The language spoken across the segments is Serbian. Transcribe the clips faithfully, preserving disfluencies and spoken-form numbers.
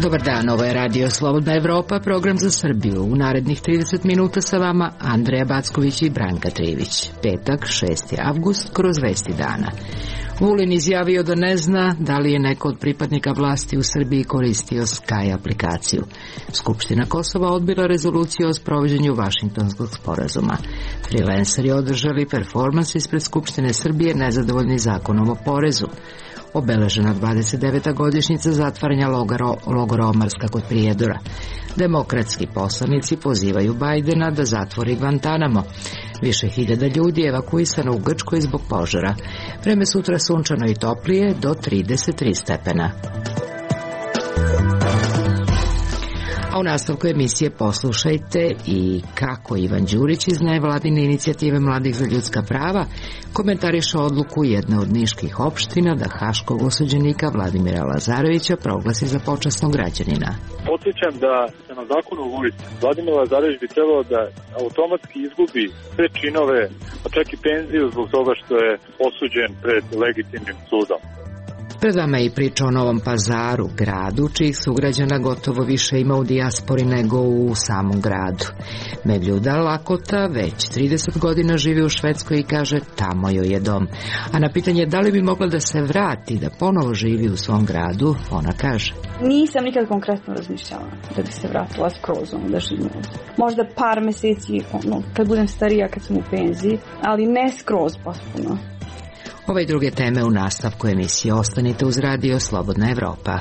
Dobar dan, ovo je Radio Slobodna Evropa, program za Srbiju. U narednih trideset minuta sa vama Andreja Backović i Branka Trivić. Petak, šesti avgust, kroz vesti dana. Vulin izjavio da ne zna da li je neko od pripadnika vlasti u Srbiji koristio Sky aplikaciju. Skupština Kosova odbila rezoluciju o sprovođenju Vašingtonskog sporazuma. Freelanceri održali performans ispred Skupštine Srbije nezadovoljni zakonom o porezu. Obeležena dvadeset deveta godišnjica zatvaranja logora, logora Omarska kod Prijedora. Demokratski poslanici pozivaju Bajdena da zatvori Guantanamo. Više hiljada ljudi je evakuisano u Grčkoj zbog požara. Vreme sutra sunčano i toplije do trideset tri stepena. A u nastavku emisije poslušajte i kako Ivan Đurić iz nevladine inicijative Mladih za ljudska prava komentariše odluku jedne od niških opština da haškog osuđenika Vladimira Lazarevića proglasi za počasnog građanina. Podsjećam da se na zakonu o vojsci Vladimir Lazarević bi trebalo da automatski izgubi sve činove, pa čak i penziju zbog toga što je osuđen pred legitimnim sudom. Pred vama je i priča o Novom Pazaru, gradu čijih sugrađana gotovo više ima u dijaspori nego u samom gradu. Mevljuda Lakota već trideset godina živi u Švedskoj i kaže tamo joj je dom. A na pitanje da li bi mogla da se vrati, da ponovo živi u svom gradu, ona kaže: Nisam nikad konkretno razmišljala da bi se vratila skroz ono da živim ovdje. Možda par meseci ono, kad budem starija, kad sam u penziji, ali ne skroz potpuno. Ove i druge teme u nastavku emisije. Ostanite uz Radio Slobodna Evropa.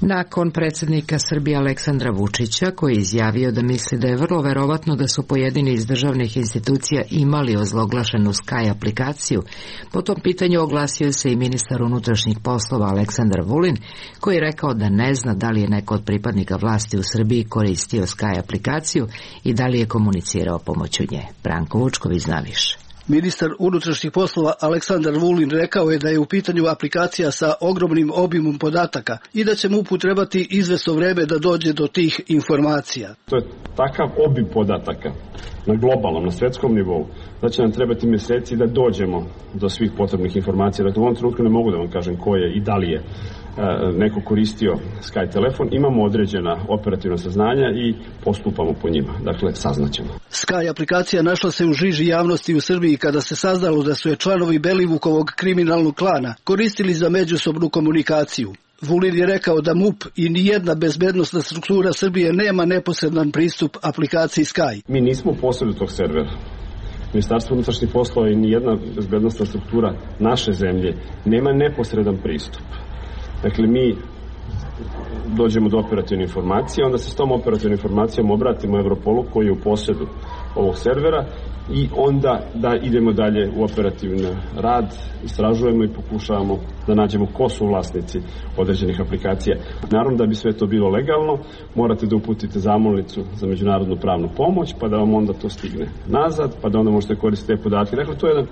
Nakon predsjednika Srbije Aleksandra Vučića, koji je izjavio da misli da je vrlo verovatno da su pojedini iz državnih institucija imali ozloglašenu Sky aplikaciju, po tom pitanju oglasio se i ministar unutrašnjih poslova Aleksandar Vulin, koji je rekao da ne zna da li je neko od pripadnika vlasti u Srbiji koristio Sky aplikaciju i da li je komunicirao pomoću nje. Branko Vučković zna više. Ministar unutrašnjih poslova Aleksandar Vulin rekao je da je u pitanju aplikacija sa ogromnim obimom podataka i da će mu trebati izvesno vreme da dođe do tih informacija. To je takav obim podataka na globalnom, na svetskom nivou, da će nam trebati mjeseci da dođemo do svih potrebnih informacija. Dakle, u ovom trenutku ne mogu da vam kažem ko je i da li je neko koristio Sky telefon. Imamo određena operativna saznanja i postupamo po njima. Dakle, saznaćemo. Sky aplikacija našla se u žiži javnosti u Srbiji kada se saznalo da su je članovi Belivukovog kriminalnog klana koristili za međusobnu komunikaciju. Vulin je rekao da MUP i nijedna bezbednosna struktura Srbije nema neposredan pristup aplikaciji Sky. Mi nismo posjedu tog servera. Ministarstvo unutrašnjih poslova i nijedna bezbednosna struktura naše zemlje nema neposredan pristup. Dakle, mi dođemo do operativne informacije, onda se s tom operativnom informacijom obratimo Europolu koji je u posjedu ovog servera i onda da idemo dalje u operativni rad, istražujemo i pokušavamo da nađemo ko su vlasnici određenih aplikacija. Naravno, da bi sve to bilo legalno, morate da uputite zamolnicu za međunarodnu pravnu pomoć, pa da vam onda to stigne nazad, pa da onda možete koristiti te podatke. Dakle, to je jedan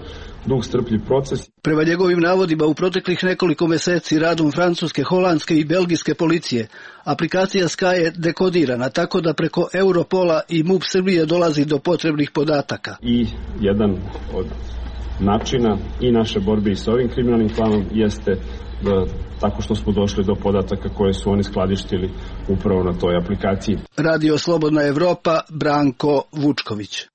dug strpljiv proces. Prema njegovim navodima, u proteklih nekoliko meseci radom francuske, holandske i belgijske policije, aplikacija Sky je dekodirana, tako da preko Europola i MUP Srbije dolazi do potrebnih podataka. I jedan od načina i naše borbe i sa ovim kriminalnim klanom jeste da, tako što smo došli do podataka koje su oni skladištili upravo na toj aplikaciji. Radio Slobodna Evropa, Branko Vučković.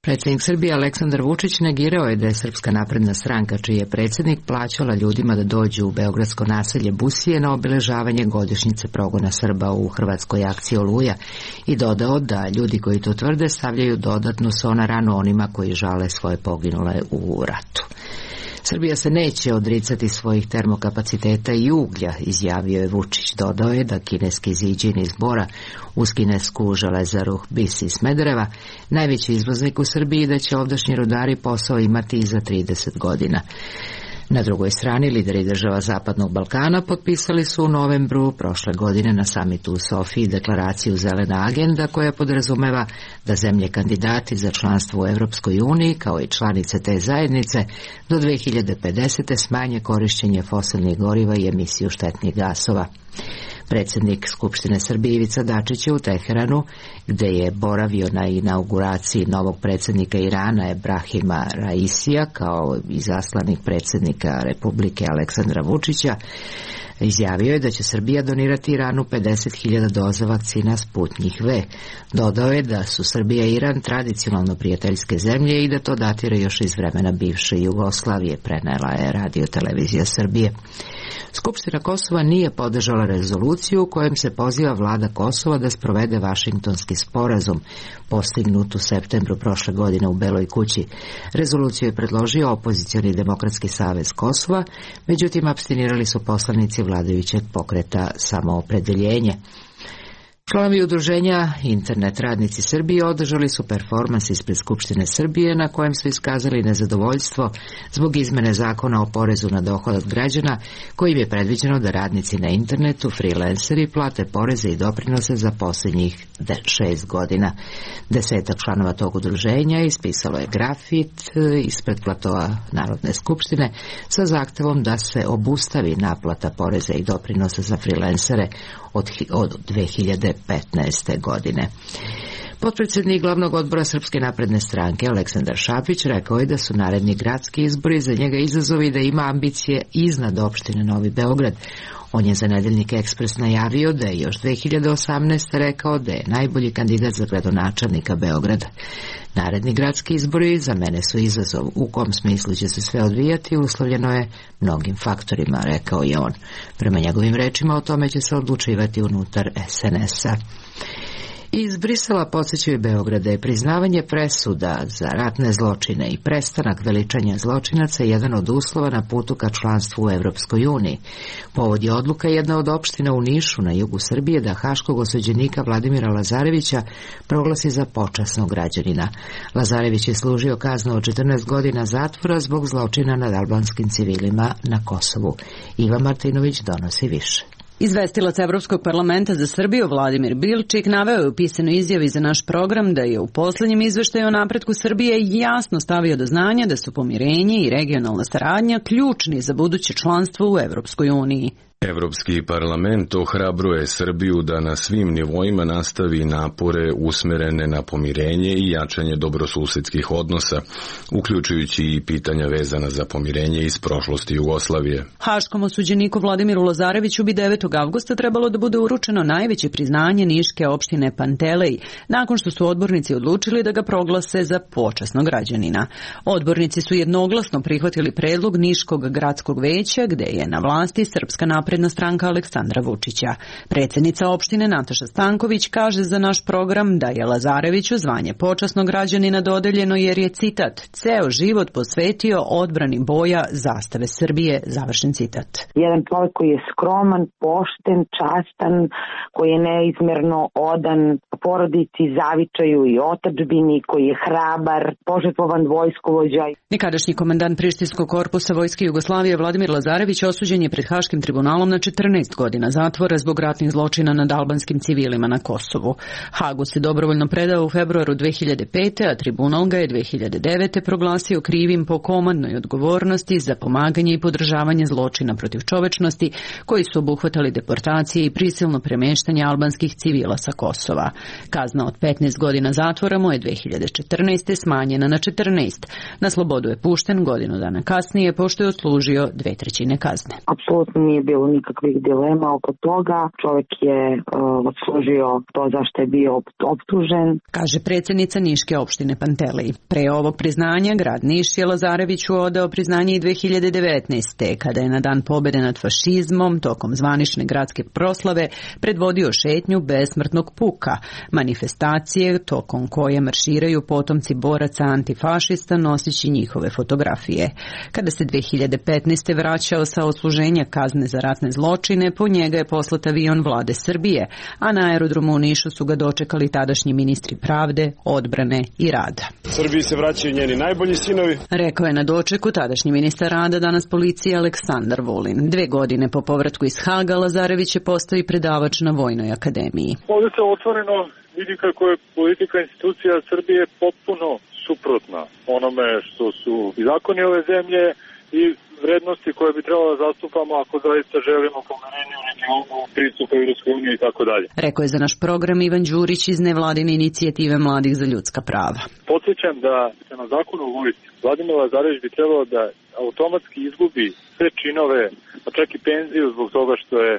Predsjednik Srbije Aleksandar Vučić negirao je da je Srpska napredna stranka, čiji je predsjednik, plaćala ljudima da dođu u beogradsko naselje Busije na obeležavanje godišnjice progona Srba u hrvatskoj akciji Oluja i dodao da ljudi koji to tvrde stavljaju dodatnu so na ranu onima koji žale svoje poginule u ratu. Srbija se neće odricati svojih termokapaciteta i uglja, izjavio je Vučić. Dodao je da kineski Ziđin iz Bora uz kinesku železaru Bis iz Smedereva najveći izvoznik u Srbiji, da će ovdašnji rudari posao imati i za trideset godina. Na drugoj strani, lideri država Zapadnog Balkana potpisali su u novembru prošle godine na samitu u Sofiji deklaraciju Zelena agenda koja podrazumeva da zemlje kandidati za članstvo u Evropskoj uniji kao i članice te zajednice do dve hiljade pedesete smanje korišćenje fosilnih goriva i emisiju štetnih gasova. Predsjednik Skupštine Srbije Ivica Dačić je u Teheranu, gde je boravio na inauguraciji novog predsjednika Irana Ebrahima Raisija kao izaslanik predsjednika Republike Aleksandra Vučića, izjavio je da će Srbija donirati Iranu pedeset hiljada doza vakcina Sputnjik V. Dodao je da su Srbija i Iran tradicionalno prijateljske zemlje i da to datira još iz vremena bivše Jugoslavije, prenela je Radio Televizija Srbije. Skupština Kosova nije podržala rezoluciju u kojem se poziva vlada Kosova da sprovede Vašingtonski sporazum postignut u septembru prošle godine u Beloj kući. Rezoluciju je predložio opozicioni Demokratski savez Kosova, međutim apstinirali su poslanici vladajućeg pokreta Samoopredeljenje. Članovi udruženja Internet radnici Srbije održali su performans ispred Skupštine Srbije na kojem su iskazali nezadovoljstvo zbog izmene zakona o porezu na dohodak građana kojim je predviđeno da radnici na internetu, freelanceri, plate poreze i doprinose za posljednjih šest godina. Desetak članova tog udruženja ispisalo je grafit ispred platoa Narodne skupštine sa zahtevom da se obustavi naplata poreza i doprinosa za freelancere od, od dve hiljade petnaeste. godine. Potpredsjednik glavnog odbora Srpske napredne stranke Aleksandar Šapić rekao je da su naredni gradski izbori za njega izazovi da ima ambicije iznad opštine Novi Beograd. On je za Nedeljnik Ekspres najavio da je još dve hiljade osamnaeste. rekao da je najbolji kandidat za gradonačelnika Beograda. Naredni gradski izbori za mene su izazov. U kom smislu će se sve odvijati uslovljeno je mnogim faktorima, rekao je on. Prema njegovim rečima o tome će se odlučivati unutar es en es-a. Iz Brisela podsjećaju Beograda je priznavanje presuda za ratne zločine i prestanak veličanja zločinaca jedan od uslova na putu ka članstvu u Evropskoj uniji. Povod je odluka jedna od opština u Nišu na jugu Srbije da haškog osuđenika Vladimira Lazarevića proglasi za počasnog građanina. Lazarević je služio kaznu od četrnaest godina zatvora zbog zločina nad albanskim civilima na Kosovu. Iva Martinović donosi više. Izvestilac Evropskog parlamenta za Srbiju Vladimir Bilčik naveo je u pisanoj izjavi za naš program da je u posljednjem izveštaju o napretku Srbije jasno stavio do znanja da su pomirenje i regionalna saradnja ključni za buduće članstvo u Evropskoj uniji. Evropski parlament ohrabruje Srbiju da na svim nivoima nastavi napore usmerene na pomirenje i jačanje dobrosusedskih odnosa, uključujući i pitanja vezana za pomirenje iz prošlosti Jugoslavije. Haškom osuđeniku Vladimiru Lazareviću bi devetog avgusta trebalo da bude uručeno najveće priznanje niške opštine Pantelej, nakon što su odbornici odlučili da ga proglase za počasnog građanina. Odbornici su jednoglasno prihvatili predlog Niškog gradskog veća, gde je na vlasti Srpska napredna stranka Aleksandra Vučića. Predsjednica opštine Nataša Stanković kaže za naš program da je Lazareviću zvanje počasnog građanina dodeljeno jer je, citat, ceo život posvetio odbrani boja zastave Srbije, završen citat. Jedan čovjek koji je skroman, pošten, častan, koji je neizmjerno odan porodici, zavičaju i otadžbini, koji je hrabar, požrtvovan vojskovođa. Nekadašnji komandant Prištinskog korpusa Vojske Jugoslavije Vladimir Lazarević osuđen je pred Haškim tribunalom na četrnaest godina zatvora zbog ratnih zločina nad albanskim civilima na Kosovu. Hagu se dobrovoljno predao u februaru dve hiljade pete. a tribunal ga je dve hiljade devete. proglasio krivim po komandnoj odgovornosti za pomaganje i podržavanje zločina protiv čovečnosti koji su obuhvatali deportacije i prisilno premeštanje albanskih civila sa Kosova. Kazna od petnaest godina zatvora mu je dve hiljade četrnaeste. smanjena na četrnaest. Na slobodu je pušten godinu dana kasnije pošto je odslužio dve trećine kazne. Apsolutno nije bilo nikakvih dilema oko toga. Čovjek je uh, odslužio to zašto je bio optužen. Kaže predsjednica Niške opštine Pantelej. Pre ovog priznanja grad Niš je Lazareviću odao priznanje i dve hiljade devetnaeste. kada je na dan pobjede nad fašizmom tokom zvanične gradske proslave predvodio šetnju besmrtnog puka, manifestacije tokom koje marširaju potomci boraca antifašista nosići njihove fotografije. Kada se dve hiljade petnaeste vraćao sa odsluženja kazne za ratne ratne zločine, po njega je poslat avion vlade Srbije, a na aerodromu u Nišu su ga dočekali tadašnji ministri pravde, odbrane i rada. Srbiji se vraćaju njeni najbolji sinovi. Rekao je na dočeku tadašnji ministar rada, danas policije, Aleksandar Vulin. Dve godine po povratku iz Haga, Lazarević je postao i predavač na Vojnoj akademiji. Ovdje se otvoreno vidi kako je politika institucija Srbije potpuno suprotna onome što su i zakoni ove zemlje i vrednosti koje bi trebalo da zastupamo ako zaista želimo pomirenje u regionu, pristup Evropskoj uniji i tako dalje. Rekao je za naš program Ivan Đurić iz nevladine inicijative Mladih za ljudska prava. Podsjećam da se na zakonu o vojsci Vladimir Lazarević bi trebalo da automatski izgubi sve činove, pa čak i penziju zbog toga što je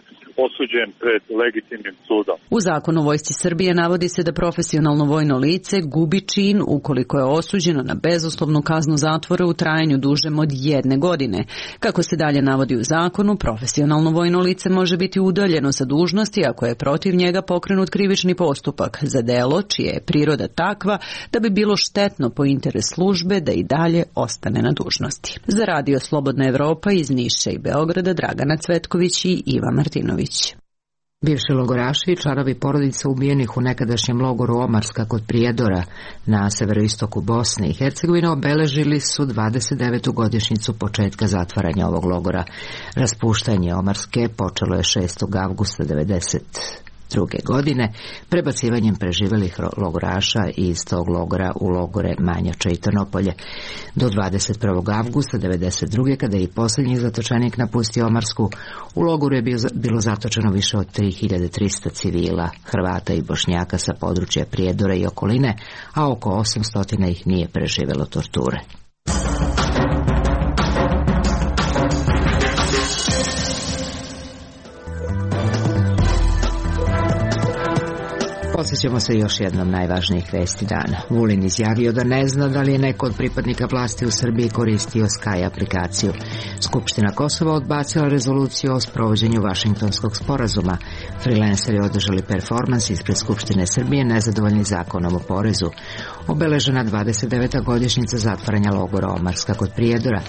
osuđen pred legitimnim sudom. U zakonu o vojsci Srbije navodi se da profesionalno vojno lice gubi čin ukoliko je osuđeno na bezuslovnu kaznu zatvora u trajanju dužem od jedne godine. Kako se dalje navodi u zakonu, profesionalno vojno lice može biti udaljeno sa dužnosti ako je protiv njega pokrenut krivični postupak za delo čija je priroda takva da bi bilo štetno po interes službe da i dalje ostane na dužnosti. Za Radio Slobodna Evropa iz Niša i Beograda Dragana Cvetković i Iva Martinović. Bivši logoraši i članovi porodica ubijenih u nekadašnjem logoru Omarska kod Prijedora na severoistoku Bosne i Hercegovine obeležili su dvadeset devetu godišnjicu početka zatvaranja ovog logora. Raspuštanje Omarske počelo je šestog avgusta devedeset druge godine prebacivanjem preživelih logoraša iz tog logora u logore Manjača i Trnopolje. Do dvadeset prvog avgusta devedeset druge kada je i posljednji zatočenik napustio Omarsku, u logoru je bilo zatočeno više od tri hiljade trista civila, Hrvata i Bošnjaka sa područja Prijedora i okoline, a oko osamsto ih nije preživelo torture. Posjećamo se još jednom najvažnijih vesti dana. Vulin izjavio da ne zna da li je neko od pripadnika vlasti u Srbiji koristio Sky aplikaciju. Skupština Kosova odbacila rezoluciju o sprovođenju Vašingtonskog sporazuma. Freelanceri održali performans ispred Skupštine Srbije nezadovoljni zakonom o porezu. Obeležena dvadeset deveta godišnjica zatvaranja logora Omarska kod Prijedora.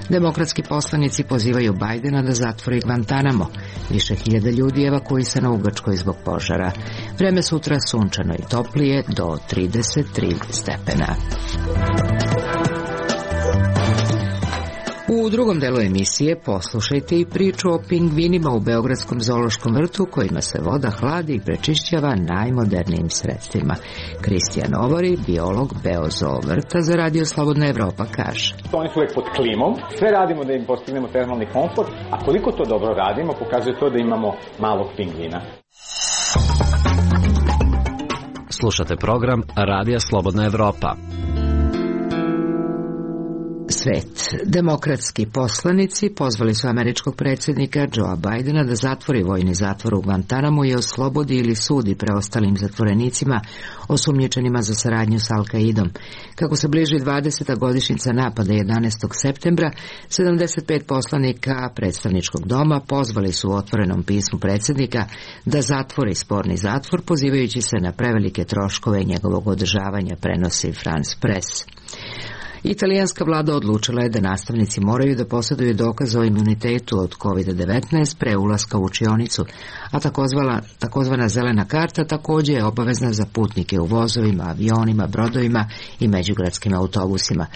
Demokratski poslanici pozivaju Bajdena da zatvori Guantanamo. Više hiljada ljudi evakuisano u Grčkoj zbog požara. Vreme sutra sunčano i toplije do trideset tri stepena. U drugom delu emisije poslušajte i priču o pingvinima u Beogradskom zoološkom vrtu kojima se voda hladi i prečišćava najmodernijim sredstvima. Kristijan Ovori, biolog Beozoo vrta za Radio Slobodna Evropa, kaže: Oni su uvek pod klimom, sve radimo da im postignemo termalni komfort, a koliko to dobro radimo pokazuje to da imamo malog pingvina. Slušate program Radija Slobodna Evropa. Svet. Demokratski poslanici pozvali su američkog predsjednika Joea Bajdena da zatvori vojni zatvor u Guantanamo i oslobodi ili sudi preostalim zatvorenicima osumnjičenima za saradnju s Al-Kaidom. Kako se bliži dvadeseta godišnjica napada jedanaestog septembra, sedamdeset pet poslanika predstavničkog doma pozvali su u otvorenom pismu predsjednika da zatvori sporni zatvor, pozivajući se na prevelike troškove njegovog održavanja, prenosi France Press. Italijanska vlada odlučila je da nastavnici moraju da posjeduju dokaz o imunitetu od kovid devetnaest pre ulaska u učionicu, a takozvana, takozvana zelena karta također je obavezna za putnike u vozovima, avionima, brodovima i međugradskim autobusima.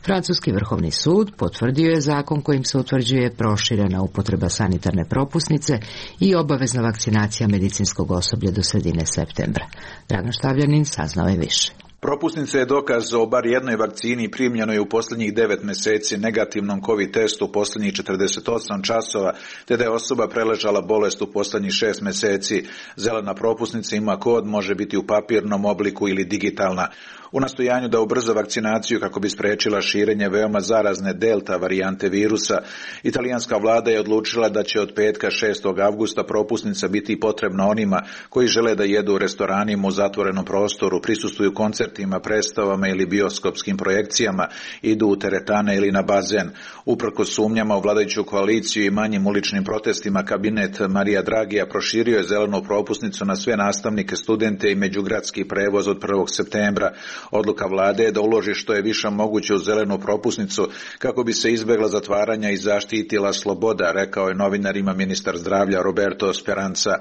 Francuski vrhovni sud potvrdio je zakon kojim se utvrđuje proširena upotreba sanitarne propusnice i obavezna vakcinacija medicinskog osoblja do sredine septembra. Dragan Štavljanin saznao je više. Propusnica je dokaz o bar jednoj vakcini primljenoj u posljednjih devet mjeseci, negativnom COVID testu u posljednjih četrdeset osam časova, te da je osoba preležala bolest u posljednjih šest mjeseci. Zelena propusnica ima kod, može biti u papirnom obliku ili digitalna. U nastojanju da ubrza vakcinaciju kako bi spriječila širenje veoma zarazne delta varijante virusa, italijanska vlada je odlučila da će od petka šestog avgusta propusnica biti potrebna onima koji žele da jedu u restoranima u zatvorenom prostoru, prisustvuju koncertima, predstavama ili bioskopskim projekcijama, idu u teretane ili na bazen. Uprkos sumnjama u vladajuću koaliciju i manjim uličnim protestima, kabinet Marija Dragija proširio je zelenu propusnicu na sve nastavnike, studente i međugradski prevoz od prvog septembra. Odluka vlade je da uloži što je više moguće u zelenu propusnicu kako bi se izbjegla zatvaranja i zaštitila sloboda, rekao je novinarima ministar zdravlja Roberto Speranza.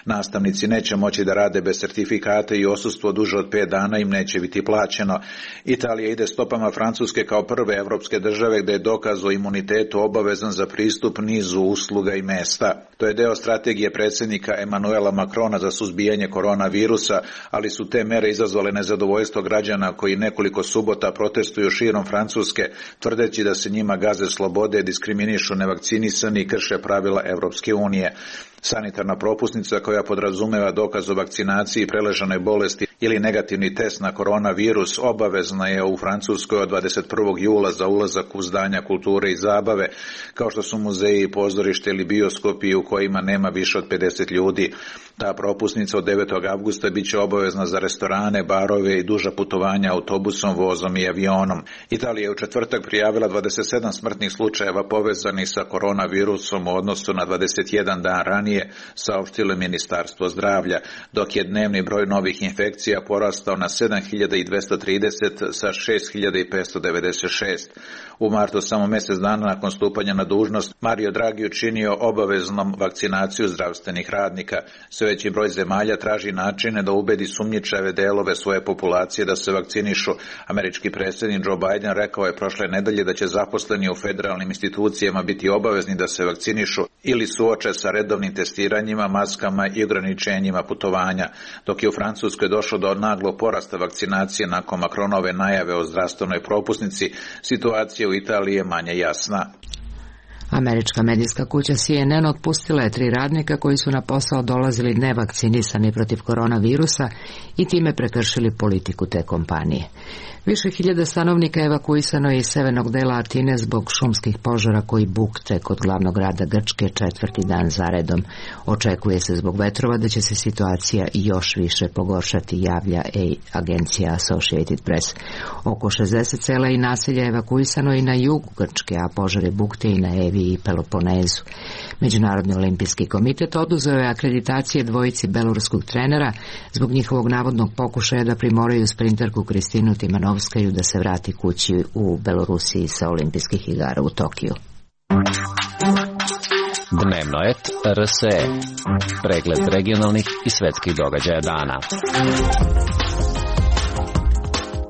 Nastavnici neće moći da rade bez sertifikata i odsustvo duže od pet dana im neće biti plaćeno. Italija ide stopama Francuske kao prve evropske države gdje je dokaz o imunitetu obavezan za pristup nizu usluga i mesta. To je deo strategije predsjednika Emanuela Macrona za suzbijanje koronavirusa, ali su te mere izazvale nezadovoljstvo građana koji nekoliko subota protestuju širom Francuske, tvrdeći da se njima gaze slobode, diskriminišu nevakcinisani i krše pravila Evropske unije. Sanitarna propusnica koja podrazumeva dokaz o vakcinaciji, preležanoj bolesti ili negativni test na koronavirus obavezna je u Francuskoj od dvadeset prvog jula za ulazak u zdanja kulture i zabave, kao što su muzeji, pozorište ili bioskopi u kojima nema više od pedeset ljudi. Ta propusnica od devetog avgusta bit će obavezna za restorane, barove i duža putovanja autobusom, vozom i avionom. Italija je u četvrtak prijavila dvadeset sedam smrtnih slučajeva povezanih sa koronavirusom u odnosu na dvadeset jedan dan ranije, saopštilo Ministarstvo zdravlja, dok je dnevni broj novih infekcija porastao na sedam hiljada dvesta trideset sa šest hiljada petsto devedeset šest. U martu, samo mjesec dana nakon stupanja na dužnost, Mario Draghi učinio obaveznom vakcinaciju zdravstvenih radnika. Sve veći broj zemalja traži načine da ubedi sumnjičave delove svoje populacije da se vakcinišu. Američki predsjednik Joe Biden rekao je prošle nedelje da će zaposleni u federalnim institucijama biti obavezni da se vakcinišu ili suoče sa redovnim testiranjima, maskama i ograničenjima putovanja. Dok je u Francuskoj došlo do naglog porasta vakcinacije nakon Macronove najave o zdravstvenoj propusnici, situacija u Italiji je manje jasna. Američka medijska kuća C N N otpustila je tri radnika koji su na posao dolazili nevakcinisani protiv koronavirusa i time prekršili politiku te kompanije. Više hiljada stanovnika evakuisano je iz severnog dela Atine zbog šumskih požara koji bukte kod glavnog grada Grčke četvrti dan zaredom. Očekuje se zbog vetrova da će se situacija još više pogoršati, javlja agencija Associated Press. Oko šezdeset sela i naselja evakuisano i na jugu Grčke, a požare bukte i na Evi i Peloponezu. Međunarodni olimpijski komitet oduzeo je akreditacije dvojici beloruskog trenera zbog njihovog navodnog pokušaja da primoraju sprinterku Kristinu Timanovskaju da se vrati kući u Belorusiji sa olimpijskih igara u Tokiju. Dnevnoet R S E. Pregled regionalnih i svetskih događaja dana.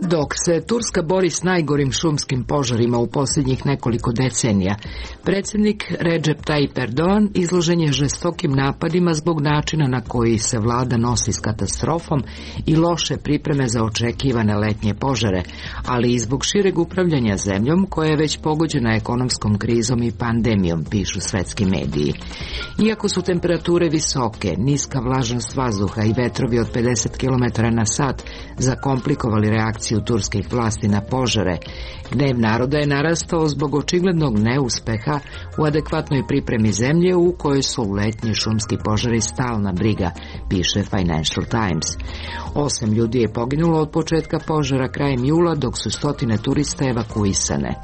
Dok se Turska bori s najgorim šumskim požarima u posljednjih nekoliko decenija, predsjednik Recep Tayyip Erdogan izložen je žestokim napadima zbog načina na koji se vlada nosi s katastrofom i loše pripreme za očekivane letnje požare, ali i zbog šireg upravljanja zemljom koja je već pogođena ekonomskom krizom i pandemijom, pišu svetski mediji. Iako su temperature visoke, niska vlažnost vazduha i vetrovi od pedeset kilometara na sat zakomplikovali reakciju turskih vlasti na požare, gnev naroda je narastao zbog očiglednog neuspeha u adekvatnoj pripremi zemlje u kojoj su letnji šumski požari stalna briga, piše Financial Times. Osam ljudi je poginulo od početka požara krajem jula, dok su stotine turista evakuisane.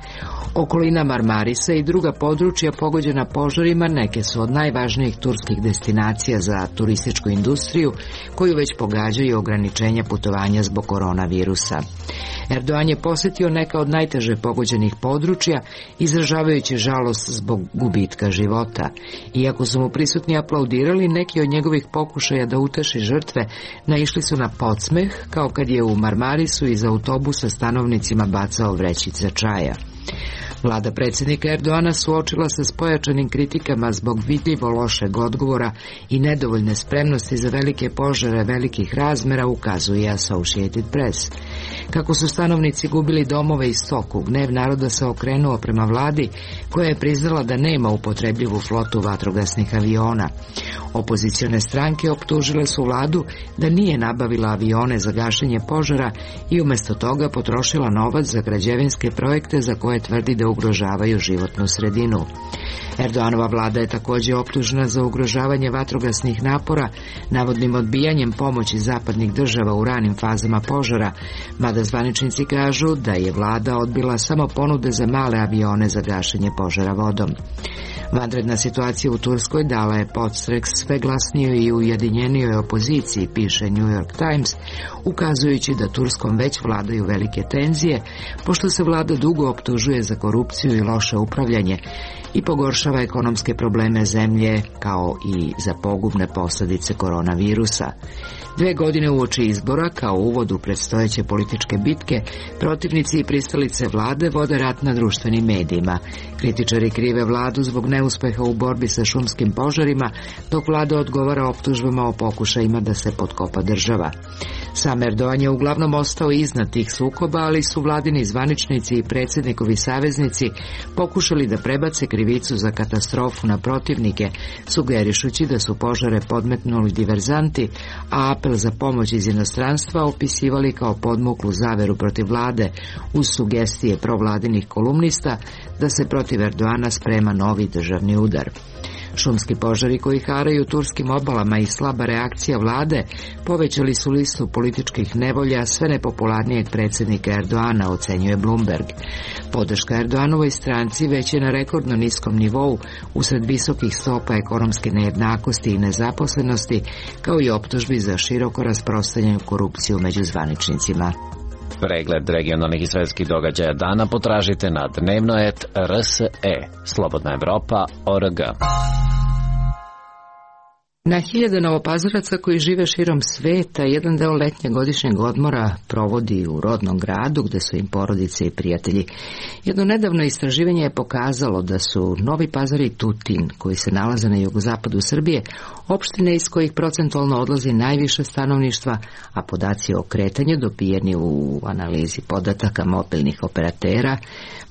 Okolina Marmarisa i druga područja pogođena požarima neke su od najvažnijih turskih destinacija za turističku industriju, koju već pogađaju ograničenja putovanja zbog koronavirusa. Erdogan je posjetio neka od najteže pogođenih područja, izražavajući žalost zbog gubitka života. Iako su mu prisutni aplaudirali, neki od njegovih pokušaja da uteši žrtve naišli su na podsmeh, kao kad je u Marmarisu iz autobusa stanovnicima bacao vrećice čaja. Vlada predsjednika Erdoana suočila se s pojačanim kritikama zbog vidljivo lošeg odgovora i nedovoljne spremnosti za velike požare velikih razmera, ukazuje Associated Press. Kako su stanovnici gubili domove i stoku, gnev naroda se okrenuo prema vladi, koja je priznala da nema upotrebljivu flotu vatrogasnih aviona. Opozicione stranke optužile su vladu da nije nabavila avione za gašenje požara i umjesto toga potrošila novac za građevinske projekte za koje tvrdi da ugrožavaju životnu sredinu. Erdoganova vlada je također optužena za ugrožavanje vatrogasnih napora, navodnim odbijanjem pomoći zapadnih država u ranim fazama požara, mada zvaničnici kažu da je vlada odbila samo ponude za male avione za gašenje požara vodom. Vanredna situacija u Turskoj dala je podstrek sve glasnijoj i ujedinjenijoj opoziciji, piše New York Times, ukazujući da Turskom već vladaju velike tenzije, pošto se vlada dugo optužuje za korupciju i loše upravljanje i pogoršava ekonomske probleme zemlje, kao i za pogubne posljedice koronavirusa. Dve godine uoči izbora, kao uvod u predstojeće političke bitke, protivnici i pristalice vlade vode rat na društvenim medijima. Kritičari krive vladu zbog neuspeha u borbi sa šumskim požarima, dok vlada odgovara optužbama o pokušajima da se potkopa država. Sam Erdogan je uglavnom ostao iznad tih sukoba, ali su vladini zvaničnici i predsjednikovi saveznici pokušali da prebace krivicu za katastrofu na protivnike, sugerišući da su požare podmetnuli diverzanti, a apel za pomoć iz inostranstva opisivali kao podmuklu zaveru protiv vlade, uz sugestije provladinih kolumnista da se protiv Erdogana sprema novi državni udar. Šumski požari koji haraju turskim obalama i slaba reakcija vlade povećali su listu političkih nevolja sve nepopularnijeg predsjednika Erdogana, ocenjuje Bloomberg. Podrška Erdoganovoj stranci već je na rekordno niskom nivou usred visokih stopa ekonomske nejednakosti i nezaposlenosti, kao i optužbi za široko rasprostranjenu korupciju među zvaničnicima. Pregled regionalnih i svetskih događaja dana potražite na dnevnoet R S E, Slobodna Evropa, O R G. Na hiljade Novopazaraca koji žive širom sveta jedan deo letnjeg godišnjeg odmora provodi u rodnom gradu gde su im porodice i prijatelji. Jedno nedavno istraživanje je pokazalo da su Novi Pazar i Tutin, koji se nalaze na jugozapadu Srbije, opštine iz kojih procentualno odlazi najviše stanovništva, a podaci o kretanju dobijeni u analizi podataka mobilnih operatera,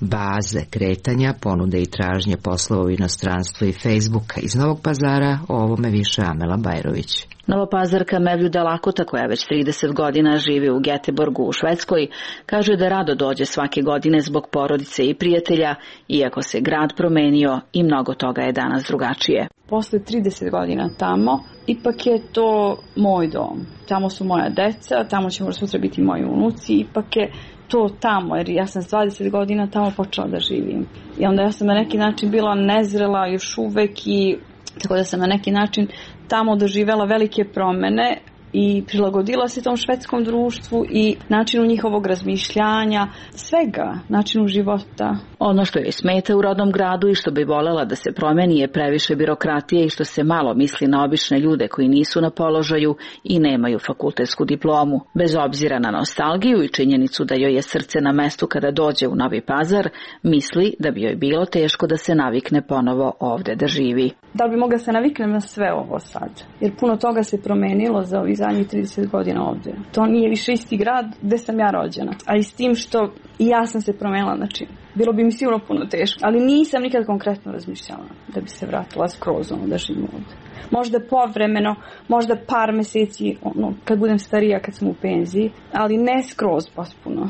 baze kretanja, ponude i tražnje poslova u inostranstvu i Facebooka. Iz Novog Pazara o ovome više Amela Bajrović. Novopazarka Mevljuda Lakota, koja već trideset godina živi u Göteborgu u Švedskoj, kaže da rado dođe svake godine zbog porodice i prijatelja, iako se grad promenio i mnogo toga je danas drugačije. Posle trideset godina tamo, ipak je to moj dom. Tamo su moja deca, tamo će možda sutra biti moji unuci, ipak je to tamo, jer ja sam s dvadeset godina tamo počela da živim. I onda ja sam na neki način bila nezrela još uvek i tako da sam na neki način tamo doživela velike promene i prilagodila se tom švedskom društvu i načinu njihovog razmišljanja, svega, načinu života. Ono što joj smeta u rodnom gradu i što bi voljela da se promeni je previše birokratije i što se malo misli na obične ljude koji nisu na položaju i nemaju fakultetsku diplomu. Bez obzira na nostalgiju i činjenicu da joj je srce na mestu kada dođe u Novi Pazar, misli da bi joj bilo teško da se navikne ponovo ovde da živi. Da bi mogla se naviknem na sve ovo sad, jer puno toga se promenilo za ovih zadnjih trideset godina ovde. To nije više isti grad gde sam ja rođena, a i s tim što i ja sam se promenila, znači bilo bi mi sigurno puno teško, ali nisam nikad konkretno razmišljala da bi se vratila skroz ono da živim ovde. Možda povremeno, možda par meseci, ono, kad budem starija, kad sam u penziji, ali ne skroz potpuno.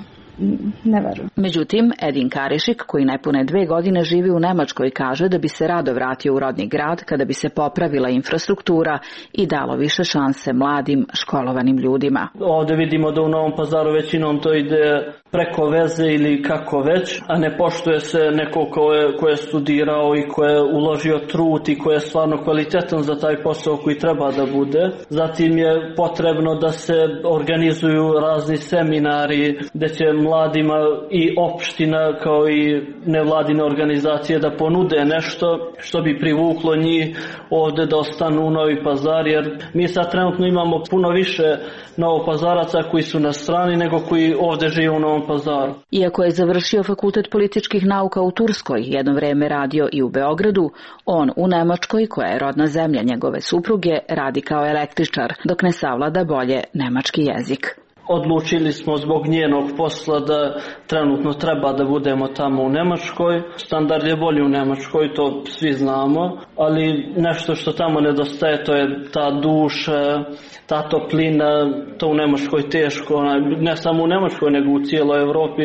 Ne verujem. Međutim, Edin Karišik, koji nepune dve godine živi u Nemačkoj, kaže da bi se rado vratio u rodni grad kada bi se popravila infrastruktura i dalo više šanse mladim, školovanim ljudima. Ovde vidimo da u Novom Pazaru većinom to ide preko veze ili kako već, a ne poštuje se neko ko je, ko je studirao i ko je uložio trud i ko je stvarno kvalitetan za taj posao koji treba da bude. Zatim je potrebno da se organizuju razni seminari gde će mladima i opština kao i nevladine organizacije da ponude nešto što bi privuklo njih ovde da ostanu u Novi Pazar, jer mi sad trenutno imamo puno više Novopazaraca koji su na strani nego koji ovde žive u Novom Pazaru. Iako je završio fakultet političkih nauka u Turskoj, jedno vreme radio i u Beogradu, on u Nemačkoj, koja je rodna zemlja njegove supruge, radi kao električar, dok ne savlada bolje nemački jezik. Odlučili smo zbog njenog posla da trenutno treba da budemo tamo u Nemačkoj. Standard je bolji u Nemačkoj, to svi znamo, ali nešto što tamo nedostaje, to je ta duša, ta toplina, to u Nemačkoj teško, ne samo u Nemačkoj nego u cijeloj Evropi,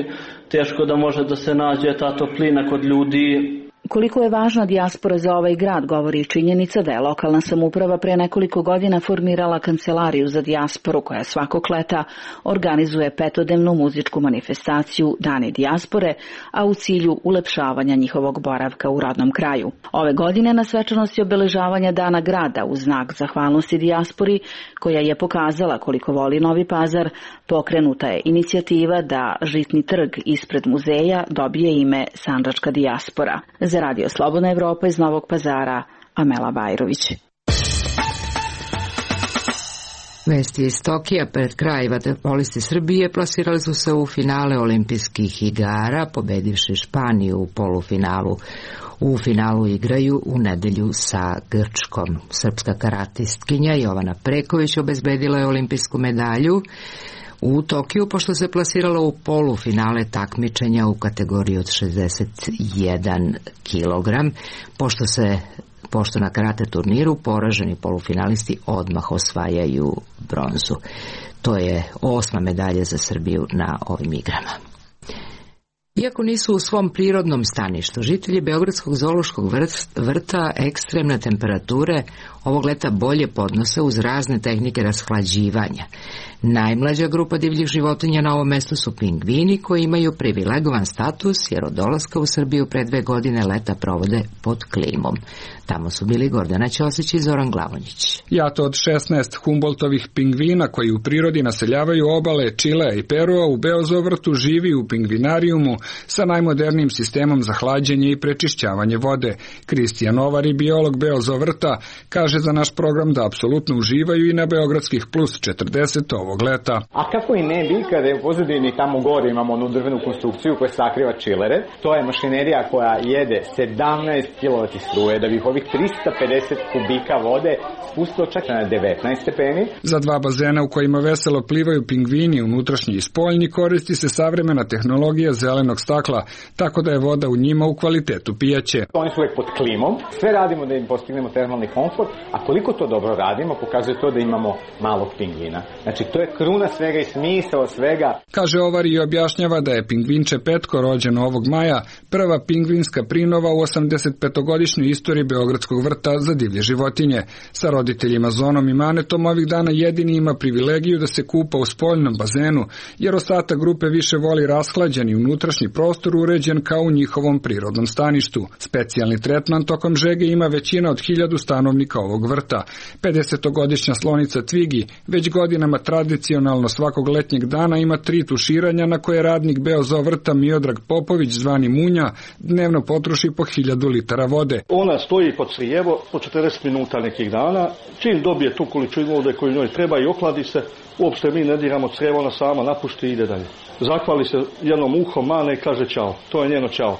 teško da može da se nađe ta toplina kod ljudi. Koliko je važna dijaspora za ovaj grad govori činjenica da je lokalna samouprava pre nekoliko godina formirala kancelariju za dijasporu koja svakog leta organizuje petodnevnu muzičku manifestaciju Dani dijaspore, a u cilju ulepšavanja njihovog boravka u rodnom kraju. Ove godine na svečanosti obeležavanja Dana grada u znak zahvalnosti dijaspori, koja je pokazala koliko voli Novi Pazar, pokrenuta je inicijativa da žitni trg ispred muzeja dobije ime Sandžačka dijaspora. Za Radio Slobodna Evropa iz Novog Pazara, Amela Bajrović. Vesti iz Tokija. Pred kraj vaterpolisti Srbije plasirali su se u finale olimpijskih igara, pobedivši Španiju u polufinalu. U finalu igraju u nedelju sa Grčkom. Srpska karatistkinja Jovana Preković obezbedila je olimpijsku medalju u Tokiju, pošto se plasirala u polufinale takmičenja u kategoriji od šezdeset jedan kilogram, pošto se pošto na karate turniru poraženi polufinalisti odmah osvajaju bronzu. To je osma medalja za Srbiju na ovim igrama. Iako nisu u svom prirodnom staništu, žitelji Beogradskog zoološkog vrta ekstremne temperature ovog leta bolje podnose uz razne tehnike rashlađivanja. Najmlađa grupa divljih životinja na ovom mestu su pingvini, koji imaju privilegovan status jer od dolaska u Srbiju pre dve godine leta provode pod klimom. Tamo su bili Gordana Ćosić i Zoran Glavonjić. Jato od šesnaest Humboldtovih pingvina koji u prirodi naseljavaju obale Čilea i Perua u Beozovrtu živi u pingvinarijumu sa najmodernijim sistemom za hlađenje i prečišćavanje vode. Kristijan Ovari, biolog Beozovrta, kaže za naš program da apsolutno uživaju i na Beogradskih plus četrdeset ovog leta. A kako i ne bi, kada je u pozadini tamo gore imamo onu drvenu konstrukciju koja sakriva čilere, to je mašinerija koja jede sedamnaest kilovati struje da bi ovih trista pedeset kubika vode spustilo čak na devetnaest stepeni. Za dva bazena u kojima veselo plivaju pingvini, unutrašnji i spoljni, koristi se savremena tehnologija zelenog stakla, tako da je voda u njima u kvalitetu pijaće. Oni su uvek pod klimom, sve radimo da im postignemo termalni komfort, a koliko to dobro radimo pokazuje to da imamo malog pingvina. Znači to je kruna svega i smisao svega. Kaže Ovari i objašnjava da je pingvinče Petko, rođen ovog maja, prva pingvinska prinova u osamdesetpetogodišnjoj istoriji Beogradskog vrta za divlje životinje. Sa roditeljima Zonom i Manetom ovih dana jedini ima privilegiju da se kupa u spoljnom bazenu, jer ostatak grupe više voli rashlađeni unutrašnji prostor uređen kao u njihovom prirodnom staništu. Specijalni tretman tokom žege ima većina od hiljadu stanovnika ovog vrta. pedesetogodišnja slonica Tvigi već godinama tradicionalno svakog letnjeg dana ima tri tuširanja na koje radnik Beozovrta Miodrag Popović, zvani Munja, dnevno potroši po hiljadu litara vode. Ona stoji pod Srijevo po četrdeset minuta nekih dana, čim dobije tu količinu vode koju njoj treba i ohladi se, uopšte mi ne diramo crijevo, ona sama napušti i ide dalje. Zahvali se jednom uhom, mane i kaže čao. To je njeno čao.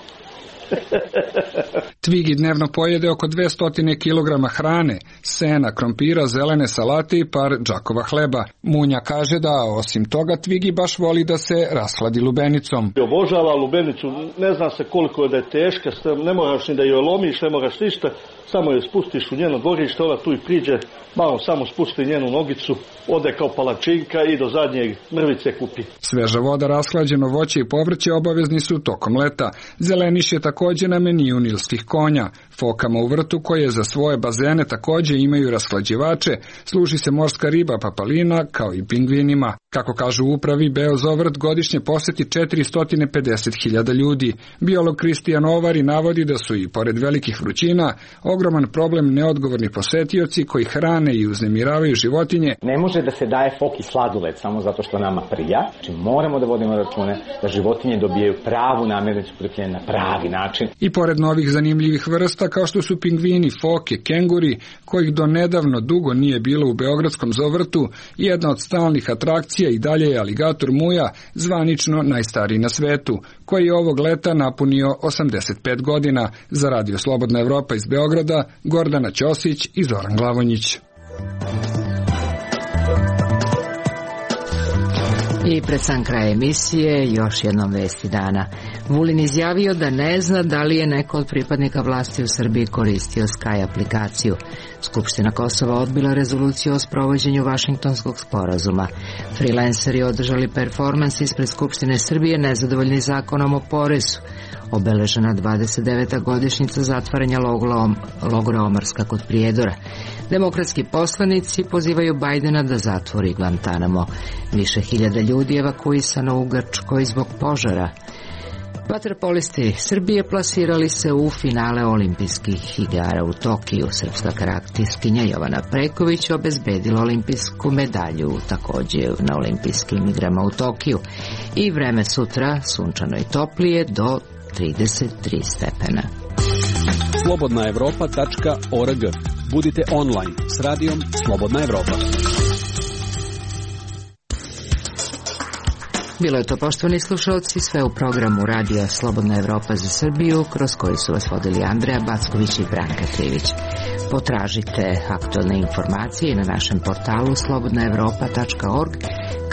Tvigi dnevno pojede oko dvesta kilograma hrane, sena, krompira, zelene salate i par džakova hleba. Munja kaže da osim toga Tvigi baš voli da se rashladi lubenicom. Obožava lubenicu, ne zna se koliko je da je teška, ne moraš ni da joj lomiš, ne moraš ništa, samo je spustiš u njeno dvorište, ona tu i priđe, malo samo spusti njenu nogicu, ode kao palačinka i do zadnjeg mrvice kupi. Sveža voda, rashlađeno voće i povrće obavezni su tokom leta. Zeleniš je također na meniju nilskih konja. Fokama u vrtu, koje za svoje bazene također imaju rashlađivače, služi se morska riba papalina kao i pingvinima. Kako kažu u upravi, Beozovrt godišnje poseti četiristo pedeset hiljada ljudi. Biolog Kristijan Ovari navodi da su i pored velikih vrućina ogroman problem neodgovorni posetioci koji hrane i uznemiravaju životinje. Ne može da se daje foki sladoled samo zato što nama prija. Znači moramo da vodimo račune da životinje dobijaju pravu namirnicu prikljene na pravi način. I pored novih zanimljivih vrsta kao što su pingvini, foke, kenguri, kojih do nedavno dugo nije bilo u Beogradskom zovrtu, jedna od stalnih atrakcija i dalje je aligator Muja, zvanično najstariji na svetu, koji je ovog leta napunio osamdeset pet godina. Za Radio Slobodna Evropa iz Beograda, Gordana Ćosić i Zoran Glavonjić. I pred sam kraj emisije još jednom vesti dana. Vulin izjavio da ne zna da li je neko od pripadnika vlasti u Srbiji koristio Sky aplikaciju. Skupština Kosova odbila rezoluciju o sprovođenju Vašingtonskog sporazuma. Freelanceri održali performans ispred Skupštine Srbije nezadovoljni zakonom o porezu. obeležena dvadeset deveta godišnjica zatvaranja logora Omarska kod Prijedora. Demokratski poslanici pozivaju Bajdena da zatvori Guantanamo. Više hiljada ljudi evakuisano u Grčkoj zbog požara. Vaterpolisti Srbije plasirali se u finale olimpijskih igara u Tokiju. Srpska karatistkinja Jovana Preković obezbedila olimpijsku medalju također na olimpijskim igrama u Tokiju. I vreme sutra sunčano i toplije do trideset tri stepena. slobodna evropa tačka org. Budite online s radijom Slobodna Evropa. Bilo je to, poštovani slušalci, sve u programu radija Slobodna Evropa za Srbiju, kroz koji su vas vodili Andreja Backović i Branka Trivić. Potražite aktualne informacije na našem portalu slobodna evropa tačka org,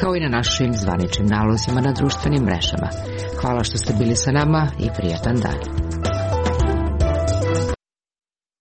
kao i na našim zvaničnim nalozima na društvenim mrežama. Hvala što ste bili sa nama i prijatan dan.